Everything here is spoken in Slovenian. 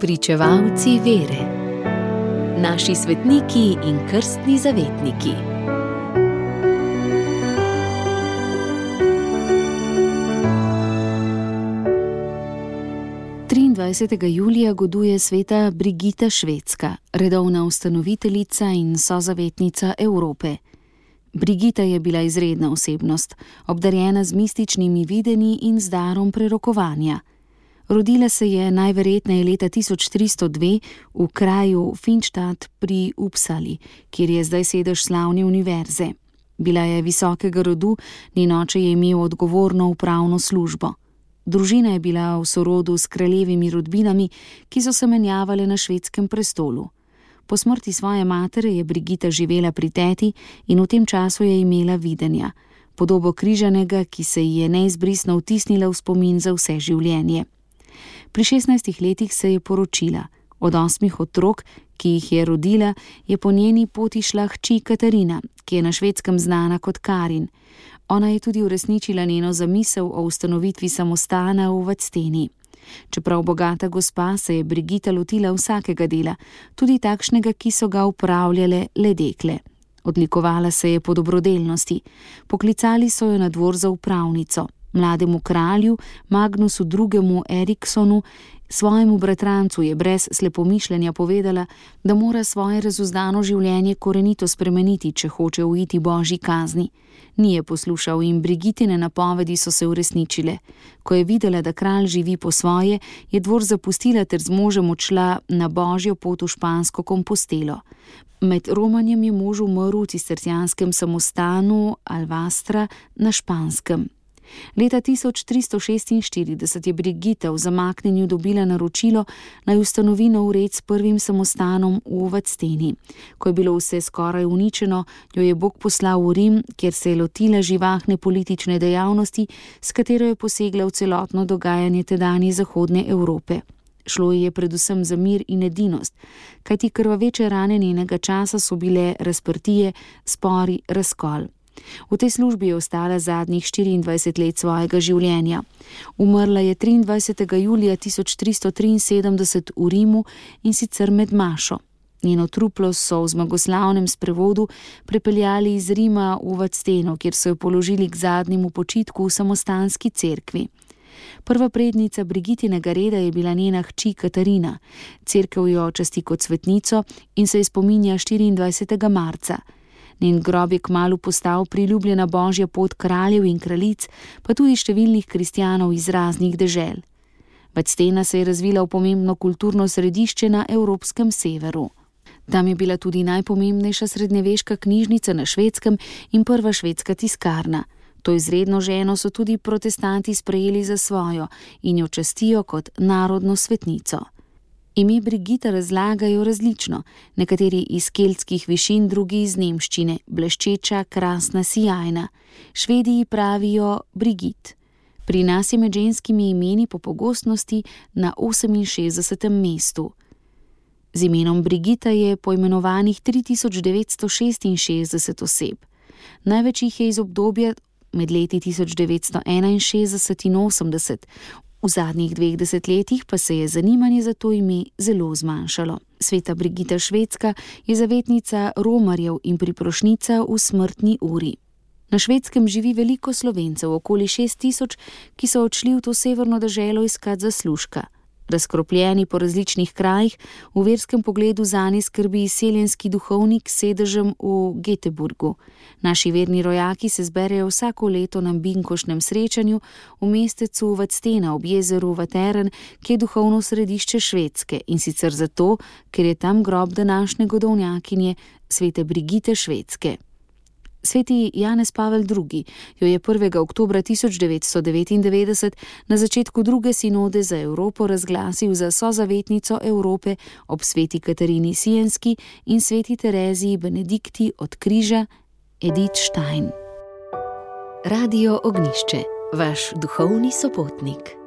Spričevalci vere. Naši svetniki in krstni zavetniki. Julija goduje sveta Brigita Švedska, redovna ustanoviteljica in sozavetnica Evrope. Brigita je bila izredna osebnost, obdarjena z mističnimi videnji in z darom prerokovanja. Rodila se je najverjetneje leta 1302 v kraju Finnstadt pri Uppsali, kjer je zdaj sedež slavne univerze. Bila je visokega rodu, njen oče je imel odgovorno upravno službo. Družina je bila v sorodu s kraljevimi rodbinami, ki so se menjavale na švedskem prestolu. Po smrti svoje matere je Brigita živela pri teti in v tem času je imela videnja, podobo križanega, ki se ji je neizbrisno vtisnila v spomin za vse življenje. Pri 16 letih se je poročila. Od 8 otrok, ki jih je rodila, je po njeni poti šla hči Katarina, ki je na švedskem znana kot Karin. Ona je tudi uresničila njeno zamisel o ustanovitvi samostana v Vadsteni. Čeprav bogata gospa, se je Brigita lotila vsakega dela, tudi takšnega, ki so ga upravljale le dekle. Odlikovala se je po dobrodelnosti. Poklicali so jo na dvor za upravnico. Mlademu kralju, Magnusu II. Eriksonu, svojemu bratrancu je brez slepomišljenja povedala, da mora svoje razuzdano življenje korenito spremeniti, če hoče uiti božji kazni. Ni je poslušal in Brigitine napovedi so se uresničile. Ko je videla, da kralj živi po svoje, je dvor zapustila ter z možem odšla na božjo pot v špansko Kompostelo. Med romanjem je mož umrl v cistercijanskem samostanu Alvastra na Španskem. Leta 1346 je Brigita v zamaknjenju dobila naročilo, naj ustanovi nov red s prvim samostanom v Vadsteni. Ko je bilo vse skoraj uničeno, jo je Bog poslal v Rim, kjer se je lotila živahne politične dejavnosti, s katero je posegla v celotno dogajanje tedanje zahodne Evrope. Šlo ji je predvsem za mir in edinost, kajti krvaveče rane njenega časa so bile razprtije, spori, razkol. V tej službi je ostala zadnjih 24 let svojega življenja. Umrla je 23. julija 1373 v Rimu in sicer med mašo. Njeno truplo so v zmagoslavnem sprevodu prepeljali iz Rima v Vadsteno, kjer so jo položili k zadnjemu počitku v samostanski cerkvi. Prva prednica Brigitinega reda je bila njena hči Katarina. Cerkev jo časti kot svetnico in se je spominja 24. marca. Njen grob je kmalu postal priljubljena božja pot kraljev in kraljic, pa tudi številnih kristjanov iz raznih dežel. Vadstena se je razvila v pomembno kulturno središče na evropskem severu. Tam je bila tudi najpomembnejša srednjeveška knjižnica na Švedskem in prva švedska tiskarna. To izredno ženo so tudi protestanti sprejeli za svojo in jo častijo kot narodno svetnico. Ime Brigita razlagajo različno, nekateri iz keltskih višin, drugi iz nemščine, bleščeča, krasna, sijajna. Švedi ji pravijo Brigit. Pri nas je med ženskimi imeni po pogostnosti na 68. mestu. Z imenom Brigita je poimenovanih 3966 oseb. Največ jih je iz obdobja med leti 1961 in 80. V zadnjih 2 desetletjih pa se je zanimanje za to ime zelo zmanjšalo. Sveta Brigita Švedska je zavetnica romarjev in priprošnjica v smrtni uri. Na Švedskem živi veliko Slovencev, okoli 6000, ki so odšli v to severno deželo iskat zaslužka. Razkropljeni po različnih krajih, v verskem pogledu zanje skrbi izseljenski duhovnik s sedežem v Göteborgu. Naši verni rojaki se zberejo vsako leto na binkošnem srečanju v mestecu Vadstena ob jezeru Vateren, ki je duhovno središče Švedske, in sicer zato, ker je tam grob današnje godovnjakinje svete Brigite Švedske. Sveti Janez Pavel II. Jo je 1. oktobra 1999 na začetku druge sinode za Evropo razglasil za sozavetnico Evrope ob sveti Katarini Sienski in sveti Tereziji Benedikti od križa Edith Stein. Radio Ognjišče, vaš duhovni sopotnik.